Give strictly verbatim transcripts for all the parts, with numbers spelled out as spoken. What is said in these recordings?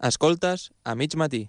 Escoltes a mig matí.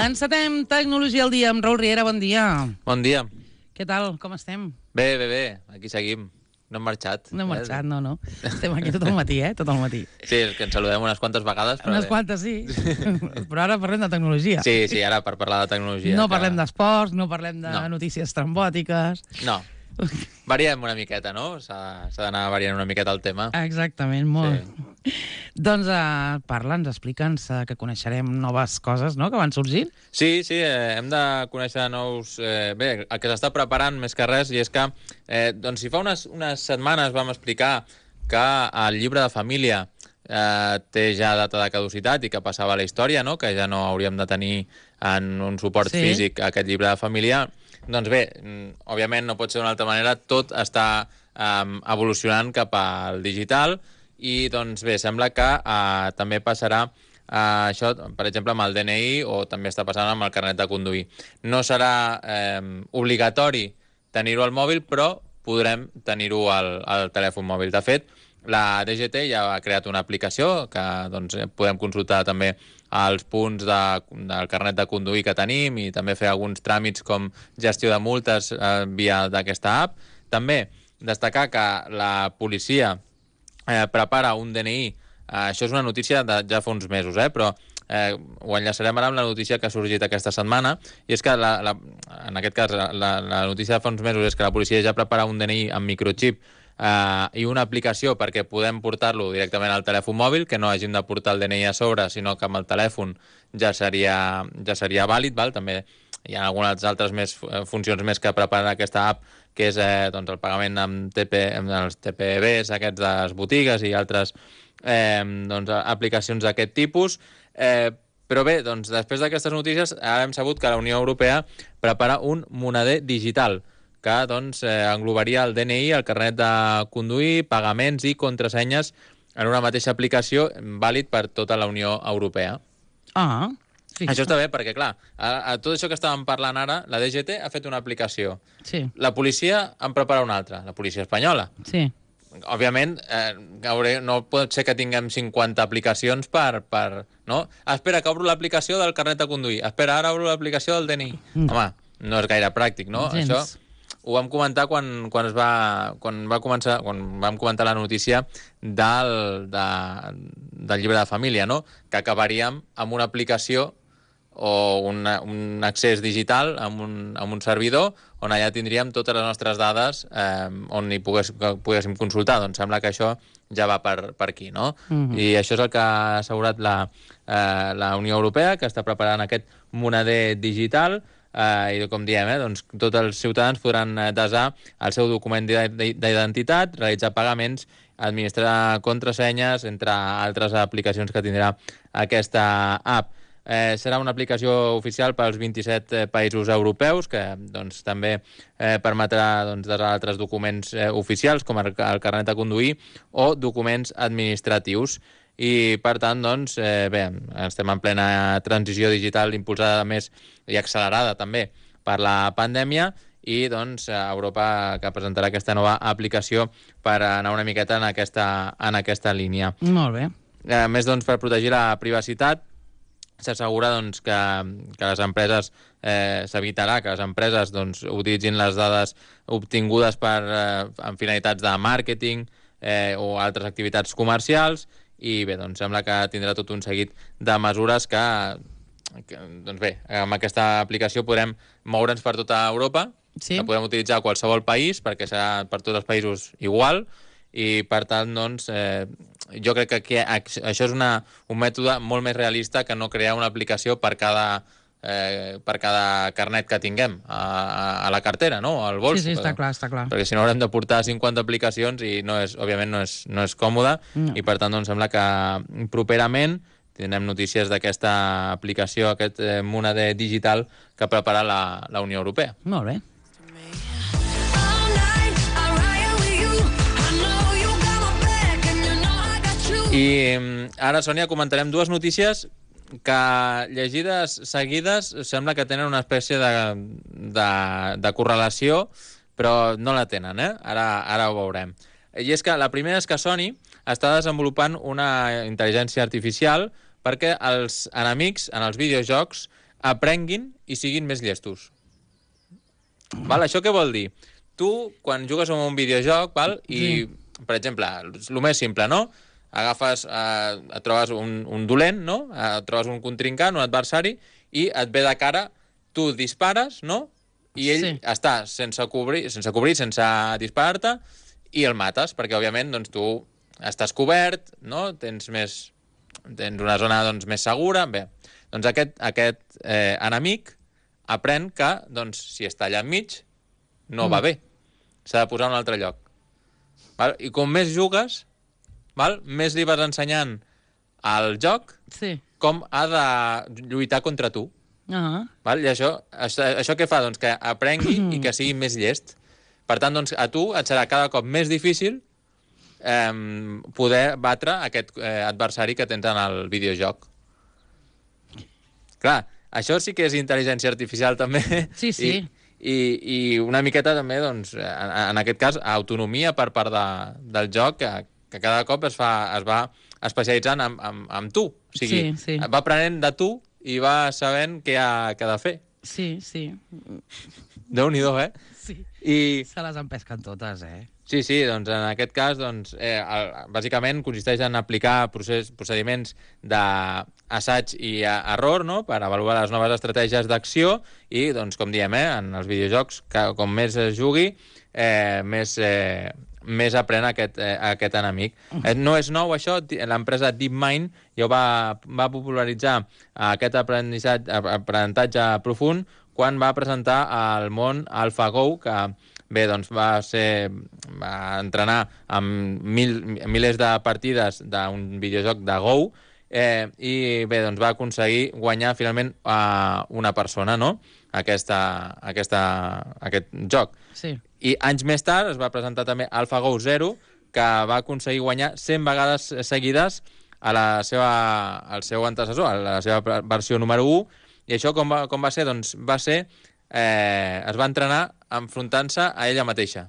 Encetem Tecnologia al dia amb Raül Riera, bon dia. Bon dia. Què tal, com estem? Bé, bé, bé, aquí seguim. No hem marxat. No hem marxat, no, no. Estem aquí tot el matí, eh? Tot el matí. Sí, és que ens saludem unes quantes vegades. Però unes bé. quantes, sí. Però ara parlem de tecnologia. Sí, sí, ara per parlar de tecnologia. No que... parlem d'esports, no parlem de no. notícies trambòtiques. No. Variem una miqueta, no? S'ha d'anar variant una miqueta el tema. Exactament, molt. Sí. Doncs uh, parla'ns, explica'ns uh, que coneixerem noves coses, no?, que van sorgint. Sí, sí, eh, hem de conèixer nous... Eh, bé, el que s'està preparant més que res, i és que, eh, doncs, si fa unes, unes setmanes vam explicar que el llibre de família eh, té ja data de caducitat i que passava a la història, no?, que ja no hauríem de tenir en un suport sí. físic aquest llibre de família. Doncs bé, òbviament no pot ser d'una altra manera, tot està um, evolucionant cap al digital i doncs bé, sembla que uh, també passarà uh, això, per exemple, amb el D N I o també està passant amb el carnet de conduir. No serà um, obligatori tenir-ho al mòbil, però podrem tenir-ho al, al telèfon mòbil. De fet, la D G T ja ha creat una aplicació que doncs, podem consultar també els punts de, del carnet de conduir que tenim i també fer alguns tràmits com gestió de multes eh, via d'aquesta app. També destacar que la policia eh, prepara un D N I. Eh, això és una notícia de ja fa uns mesos, eh, però eh, ho enllaçarem ara amb la notícia que ha sorgit aquesta setmana, i és que la, la, en aquest cas la, la notícia de fa uns mesos és que la policia ja prepara un D N I amb microchip Uh, i una aplicació perquè podem portar-lo directament al telèfon mòbil, que no hàgim de portar el D N I a sobre, sinó que amb el telèfon ja seria, ja seria vàlid, val? També hi ha algunes altres més, funcions més que preparen aquesta app, que és eh, doncs el pagament amb, T P, amb els T P Bs aquests de les botigues i altres eh, doncs, aplicacions d'aquest tipus. Eh, però bé, doncs, després d'aquestes notícies ara hem sabut que la Unió Europea prepara un moneder digital que doncs, eh, englobaria el D N I, el carnet de conduir, pagaments i contrasenyes en una mateixa aplicació vàlid per tota la Unió Europea. Ah, fixa. Això està bé perquè, clar, a, a tot això que estàvem parlant ara, la D G T ha fet una aplicació. Sí. La policia en prepara una altra, la policia espanyola. Sí. Òbviament, eh, no pot ser que tinguem cinquanta aplicacions per... per no? Espera, que obro l'aplicació del carnet de conduir. Espera, ara obro l'aplicació del D N I. Mm. Home, no és gaire pràctic, no? Gens. Això ho vam comentar quan, quan, es va, quan, va començar, quan vam comentar la notícia del, de, del llibre de família, no? Que acabaríem amb una aplicació o una, un accés digital amb un, amb un servidor on allà tindríem totes les nostres dades eh, on hi pogués, poguéssim consultar. Doncs sembla que això ja va per, per aquí, no? Mm-hmm. I això és el que ha assegurat la, eh, la Unió Europea, que està preparant aquest moneder digital. Uh, i com diem, eh, doncs, tots els ciutadans podran desar el seu document d'identitat, realitzar pagaments, administrar contrasenyes, entre altres aplicacions que tindrà aquesta app. Eh, serà una aplicació oficial pels vint-i-set eh, països europeus, que doncs, també eh, permetrà doncs, desar altres documents eh, oficials, com el, el carnet de conduir, o documents administratius. I, per tant, doncs, eh, bé, estem en plena transició digital impulsada més i accelerada també per la pandèmia i, doncs, Europa que presentarà aquesta nova aplicació per anar una miqueta en aquesta, en aquesta línia. Molt bé. A més, doncs, per protegir la privacitat, s'assegura doncs, que, que les empreses, eh, s'evitarà que les empreses doncs, utilitzin les dades obtingudes per, eh, en finalitats de màrqueting eh, o altres activitats comercials. I bé, doncs sembla que tindrà tot un seguit de mesures que, que doncs bé, amb aquesta aplicació podrem moure'ns per tota Europa, sí. La podem utilitzar a qualsevol país, perquè serà per tots els països igual, i per tant, doncs, eh, jo crec que aquí, això és una, un mètode molt més realista que no crear una aplicació per cada... Eh, per cada carnet que tinguem a, a la cartera, no? Al bols. Sí, sí, està clar, està clar. Perquè si no haurem de portar cinquanta aplicacions i no és, òbviament no és, no és còmode, no. I per tant doncs sembla que properament tindrem notícies d'aquesta aplicació, aquest eh, moneder digital que prepara la, la Unió Europea. Molt bé. I ara, Sònia, comentarem dues notícies que, llegides seguides, sembla que tenen una espècie de, de, de correlació, però no la tenen, eh? Ara, ara ho veurem. I és que la primera és que Sony està desenvolupant una intel·ligència artificial perquè els enemics en els videojocs aprenguin i siguin més llestos. Val? Això què vol dir? Tu, quan jugues a un videojoc, val? I, sí. per exemple, el més simple, no? Agafes, eh, et trobes un, un dolent, no? Et trobes un contrincant, un adversari, i et ve de cara, tu dispares, no? I ell sí. està sense cobrir, sense, cobrir, sense disparar-te, i el mates, perquè, òbviament, doncs, tu estàs cobert, no? Tens més... tens una zona doncs, més segura. Bé, doncs aquest, aquest eh, enemic aprèn que, doncs, si està allà enmig, no mm. va bé. S'ha de posar a un altre lloc. Val? I com més jugues, val? Més li vas ensenyant al joc sí. com ha de lluitar contra tu. Uh-huh. Val? I això, això, això què fa? Doncs que aprengui i que sigui més llest. Per tant, doncs, a tu et serà cada cop més difícil eh, poder batre aquest eh, adversari que tens en el videojoc. Clar, això sí que és intel·ligència artificial, també. Sí, sí. I, i, i una miqueta també, doncs, en, en aquest cas, autonomia per part de, del joc, que, que cada cop es, fa, es va especialitzant en, en, en tu. O sigui, sí, sí. va aprenent de tu i va sabent què ha, què ha de fer. Sí, sí. Déu-n'hi-do, eh? Sí. I... se les empesquen totes, eh? Sí, sí, doncs en aquest cas, doncs, eh, el, bàsicament consisteix en aplicar procés, procediments d'assaig i error, no?, per avaluar les noves estratègies d'acció i, doncs, com diem, eh, en els videojocs, que, com més es jugui, eh, més, eh, més aprèn aquest, eh, aquest enemic. Eh, no és nou, això. L'empresa DeepMind ja va, va popularitzar aquest aprenentatge, aprenentatge profund quan va presentar al món AlphaGo, que bé, doncs va ser va entrenar amb mil, milers de partides d'un videojoc de Go eh, i bé, doncs va aconseguir guanyar finalment a una persona, no?, aquesta, aquesta, aquest joc. Sí. I anys més tard es va presentar també AlphaGo Zero, que va aconseguir guanyar cent vegades seguides a la seva, al seu antecessor, a la seva versió número u. I això com va, com va ser? Doncs va ser... Eh, es va entrenar enfrontant-se a ella mateixa.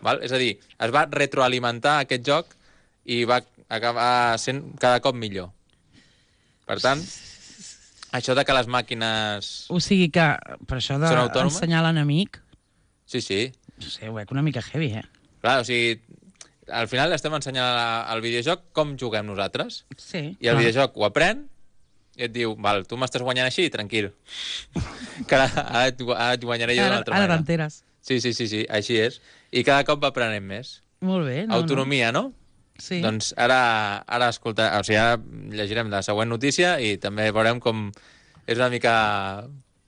Val? És a dir, es va retroalimentar aquest joc i va acabar sent cada cop millor. Per tant, això de que les màquines... O sigui que, per això d'ensenyar l'enemic... Sí, sí. No sé, ho veig una mica heavy, eh? Clar, o sigui, al final estem ensenyant al videojoc com juguem nosaltres. Sí. I el clar. videojoc ho aprèn i et diu, val, tu m'estàs guanyant així, tranquil. Que ara, ara, et, ara et guanyaré jo d'una altra ara manera. Ara t'enteres. Sí, sí, sí, sí, així és. I cada cop va aprenent més. Molt bé. No, autonomia, no? no? Sí. Doncs ara, ara escolta, o sigui, ara llegirem la següent notícia i també veurem com és una mica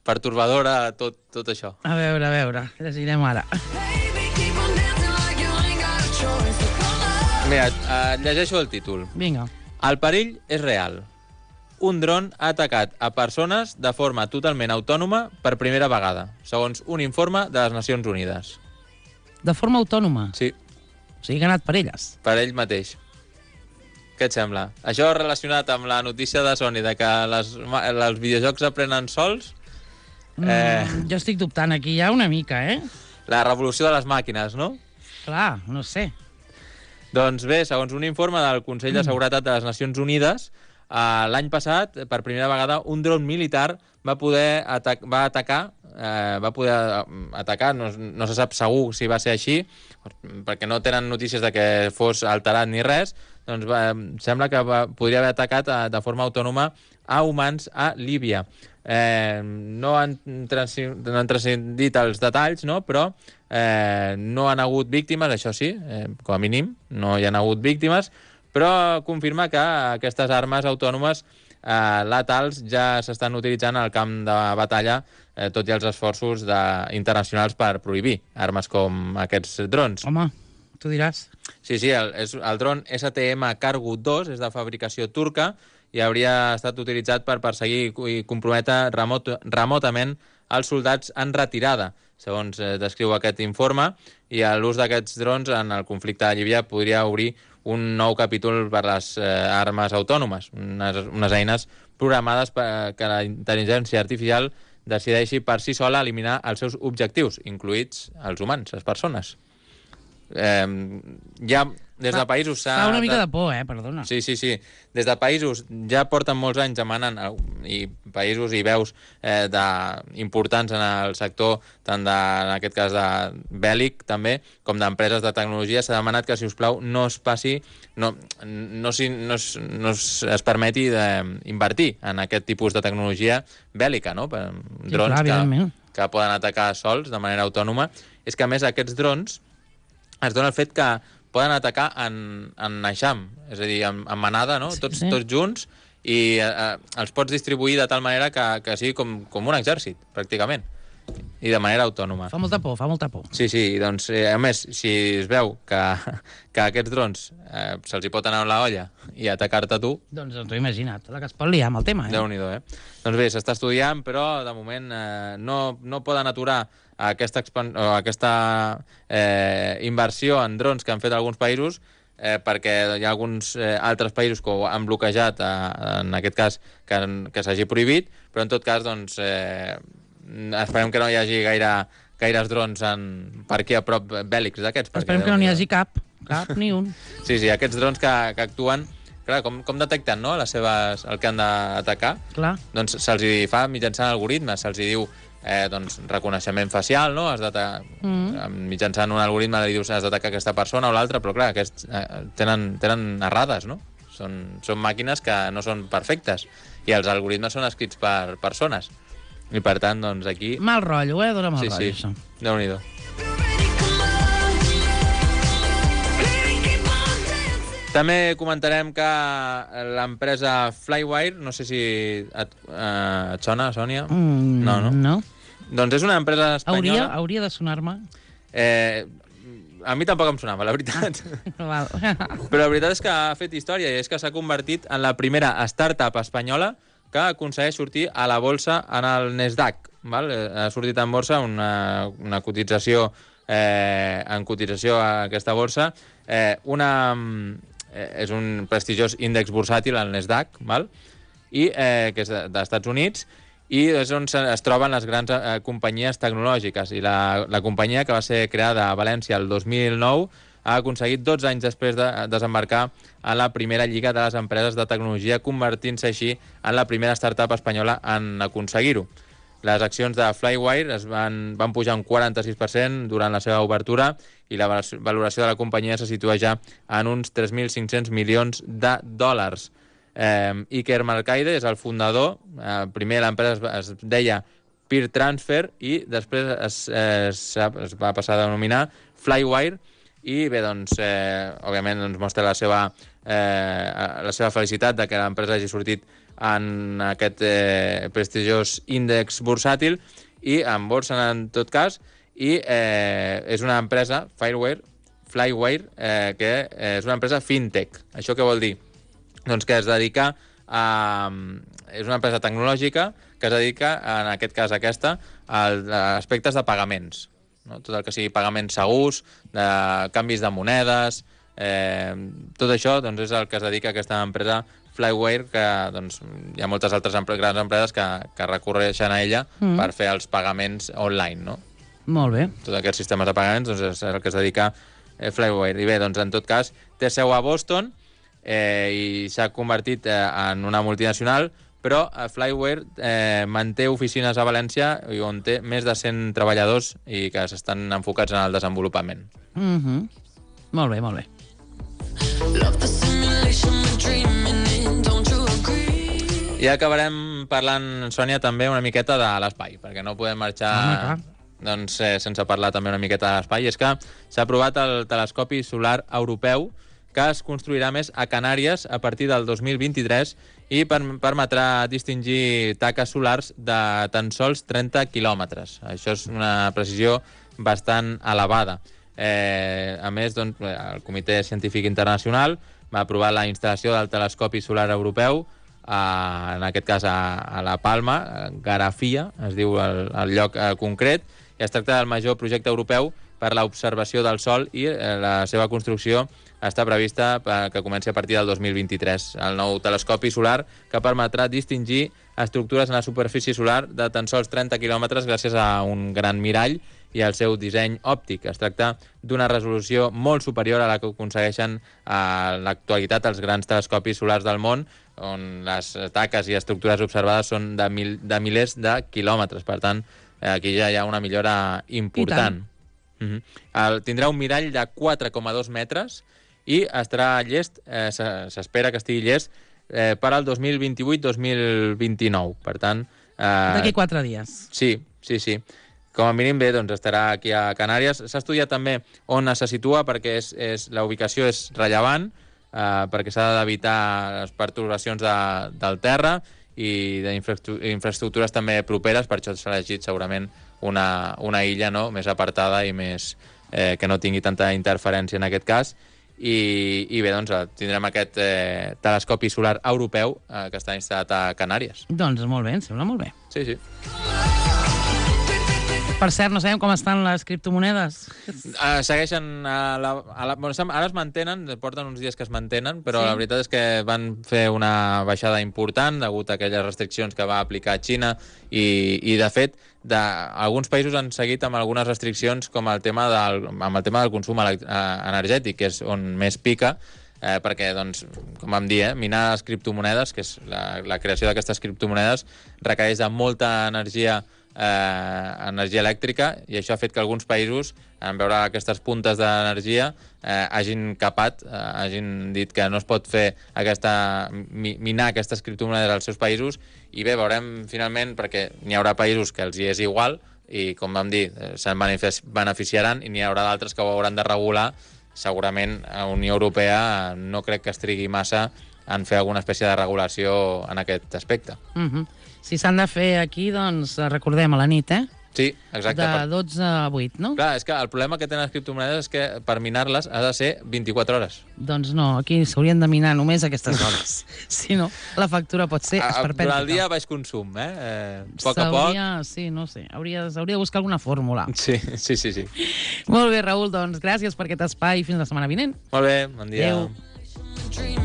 pertorbadora tot, tot això. A veure, a veure, llegirem ara. Mira, et llegeixo el títol. Vinga. El perill és real. Un dron ha atacat a persones de forma totalment autònoma per primera vegada, segons un informe de les Nacions Unides. De forma autònoma? Sí. O sigui que ha anat per elles? Per ell mateix. Què et sembla? Això relacionat amb la notícia de Sony de que les, els videojocs aprenen sols... Mm, eh... Jo estic dubtant aquí ja una mica, eh? La revolució de les màquines, no? Clar, no sé. Doncs bé, segons un informe del Consell de Seguretat de les Nacions Unides, Uh, l'any passat, per primera vegada, un dron militar va poder atac va atacar, uh, va poder atacar, no, no se sap segur si va ser així, perquè no tenen notícies de que fos alterat ni res, doncs va, sembla que va, podria haver atacat uh, de forma autònoma a humans a Líbia. Eh, no, han no han transcendit els detalls, no? Però eh, no han hagut víctimes, això sí, eh, com a mínim, no hi han hagut víctimes, però confirma que aquestes armes autònomes eh, letals ja s'estan utilitzant al camp de batalla, eh, tot i els esforços de, internacionals per prohibir armes com aquests drons. Home, tu diràs. Sí, sí, el, és, el dron S T M Cargo dos és de fabricació turca i hauria estat utilitzat per perseguir i comprometre remot, remotament els soldats en retirada, segons eh, descriu aquest informe, i l'ús d'aquests drons en el conflicte de Líbia podria obrir un nou capítol per les eh, armes autònomes, unes, unes eines programades perquè la intel·ligència artificial decideixi per si sola eliminar els seus objectius, incluïts els humans, les persones. Eh, ja des de països... Fa una mica de por, eh? Perdona. Sí, sí, sí. Des de països ja porten molts anys demanant, i països i veus eh, de, importants en el sector, tant de, en aquest cas de bèl·lic també, com d'empreses de tecnologia, s'ha demanat que, si us plau, no es passi, no, no, si, no, es, no es, es permeti d'invertir en aquest tipus de tecnologia bèl·lica, no? Per, sí, drons clar, que, que poden atacar sols de manera autònoma. És que, a més, aquests drons es dona el fet que poden atacar en, en eixam, és a dir, en, en manada, no? Tots, sí, sí. tots junts, i eh, els pots distribuir de tal manera que, que sigui com, com un exèrcit, pràcticament, i de manera autònoma. Fa molta por, fa molta por. Sí, sí, doncs, eh, a més, si es veu que, que aquests drons eh, se'ls hi pot anar a la olla i atacar-te tu... Doncs t'ho he imaginat, la que es pot liar amb el tema, eh? Déu-n'hi-do, eh? Doncs bé, s'està estudiant, però de moment eh, no, no poden aturar aquesta, o aquesta eh, inversió en drons que han fet alguns països, eh, perquè hi ha alguns eh, altres països que ho han bloquejat, eh, en aquest cas, que, que s'hagi prohibit, però en tot cas, doncs, eh, esperem que no hi hagi gaire, gaires drons en, per aquí a prop bèl·lics d'aquests. Esperem que no n'hi hagi cap, cap, ni un. Sí, sí, aquests drons que, que actuen, clar, com, com detecten, no?, les seves, el que han d'atacar? Clar. Doncs se'ls hi fa mitjançant algoritmes, se'ls hi diu eh, doncs, reconeixement facial, no? Has mm. mitjançant un algoritme li dius has d'atacar aquesta persona o l'altra, però clar, aquests eh, tenen, tenen errades, no? Són, són màquines que no són perfectes i els algoritmes són escrits per persones. I per tant, doncs aquí... Mal rotllo, eh? Dóna mal sí, rotllo, sí. això. Déu-n'hi-do. També comentarem que l'empresa Flywire, no sé si et, eh, et sona, Sònia? Mm, no, no? No. Doncs és una empresa espanyola... Hauria, hauria de sonar-me. Eh, a mi tampoc em sonava, la veritat. Ah, però la veritat és que ha fet història i és que s'ha convertit en la primera startup espanyola que aconsegueix sortir a la bolsa en el Nasdaq. Val? Ha sortit en borsa una, una cotització, eh, en cotització a aquesta borsa, eh, una... és un prestigiós índex bursàtil, el Nasdaq, val? I, eh, que és dels Estats Units, i és on es troben les grans eh, companyies tecnològiques. I la, la companyia, que va ser creada a València el dos mil nou, ha aconseguit dotze anys després de desembarcar a la primera lliga de les empreses de tecnologia, convertint-se així en la primera startup espanyola en aconseguir-ho. Les accions de Flywire es van, van pujar un quaranta-sis per cent durant la seva obertura i la valoració de la companyia se situa ja en uns tres mil cinc-cents milions de dòlars. Eh, Iker Marcaide és el fundador. Eh, primer l'empresa es, es deia Peer Transfer i després es, es, es va passar a denominar Flywire i bé, doncs, eh, òbviament doncs, mostra la seva, eh, la seva felicitat de que l'empresa hagi sortit en aquest eh, prestigiós índex bursàtil i en borsa en tot cas, i eh, és una empresa, Firewire, Flywire, eh, que eh, és una empresa fintech. Això què vol dir? Doncs que es dedica a... és una empresa tecnològica que es dedica, en aquest cas aquesta, a aspectes de pagaments. No? Tot el que sigui pagaments segurs, de canvis de monedes, eh, tot això doncs, és el que es dedica a aquesta empresa Flywire, que doncs, hi ha moltes altres empre grans empreses que, que recorreixen a ella mm. per fer els pagaments online, no? Molt bé. Tots aquests sistemes de pagaments doncs, és el que es dedica eh, Flywire. I bé, doncs, en tot cas, té seu a Boston eh, i s'ha convertit eh, en una multinacional, però eh, Flywire eh, manté oficines a València on té més de cent treballadors i que s'estan enfocats en el desenvolupament. Mm-hmm. Molt bé, molt bé. I acabarem parlant, Sònia, també una miqueta de l'espai, perquè no podem marxar ah, doncs, eh, sense parlar també una miqueta de l'espai. És que s'ha aprovat el telescopi solar europeu, que es construirà més a Canàries a partir del dos mil vint-i-tres i per permetrà distingir taques solars de tan sols trenta quilòmetres. Això és una precisió bastant elevada. Eh, a més, doncs, el Comitè Científic Internacional va aprovar la instal·lació del telescopi solar europeu, a, en aquest cas a, a La Palma, a Garafia, es diu el, el lloc eh, concret, i es tracta del major projecte europeu per l'observació del Sol i eh, la seva construcció està prevista que comenci a partir del dos mil vint-i-tres. El nou telescopi solar que permetrà distingir estructures en la superfície solar de tan sols trenta quilòmetres gràcies a un gran mirall i al seu disseny òptic. Es tracta d'una resolució molt superior a la que aconsegueixen a l'actualitat els grans telescopis solars del món, on les taques i estructures observades són de, mil, de milers de quilòmetres. Per tant, aquí ja hi ha una millora important. Uh-huh. El, tindrà un mirall de quatre coma dos metres i estarà llest, eh, s'espera que estigui llest eh, per al dos mil vint-i-vuit dos mil vint-i-nou. Per tant... Eh, D'aquí quatre dies. Sí, sí, sí. Com a mínim bé, doncs estarà aquí a Canàries. S'ha estudiat també on se situa perquè és, és, la ubicació és rellevant, eh, perquè s'ha d'evitar les pertorbacions de, del terra i d'infraestructures també properes, per això s'ha elegit segurament una, una illa, no?, més apartada i més, eh, que no tingui tanta interferència en aquest cas. I, i bé, doncs tindrem aquest eh, telescopi solar europeu eh, que està instal·lat a Canàries. Doncs molt bé, em sembla molt bé. Sí, sí. Per cert, no sabem com estan les criptomonedes. Uh, segueixen a la, a la... Bueno, ara es mantenen, porten uns dies que es mantenen, però sí, la veritat és que van fer una baixada important degut a aquelles restriccions que va aplicar Xina i, i de fet, de, alguns països han seguit amb algunes restriccions com el tema del, amb el tema del consum energètic, que és on més pica, eh, perquè, doncs, com vam dir, eh, minar les criptomonedes, que és la, la creació d'aquestes criptomonedes, requereix de molta energia Eh, energia elèctrica, i això ha fet que alguns països, en veure aquestes puntes d'energia, eh, hagin capat, eh, hagin dit que no es pot fer aquesta, mi, minar aquestes criptomonedes als seus països, i bé, veurem finalment, perquè n'hi haurà països que els hi és igual i, com vam dir, eh, se'n beneficiaran, i n'hi haurà d'altres que ho hauran de regular. Segurament a la Unió Europea no crec que es trigui massa en fer alguna espècie de regulació en aquest aspecte. Mhm. Si s'han de fer aquí, doncs recordem a la nit, eh? Sí, exacte. De dotze a vuit, no? Clar, és que el problema que tenen les criptomonedes és que per minar-les ha de ser vint-i-quatre hores. Doncs no, aquí s'haurien de minar només aquestes hores. Si no, la factura pot ser esperpèntica. Durant el dia baix consum, eh? eh poc a poc. Sí, no sé, hauria, hauria de buscar alguna fórmula. Sí, sí, sí, sí. Molt bé, Raül, doncs gràcies per aquest espai i fins la setmana vinent. Molt bé, bon dia. Adéu.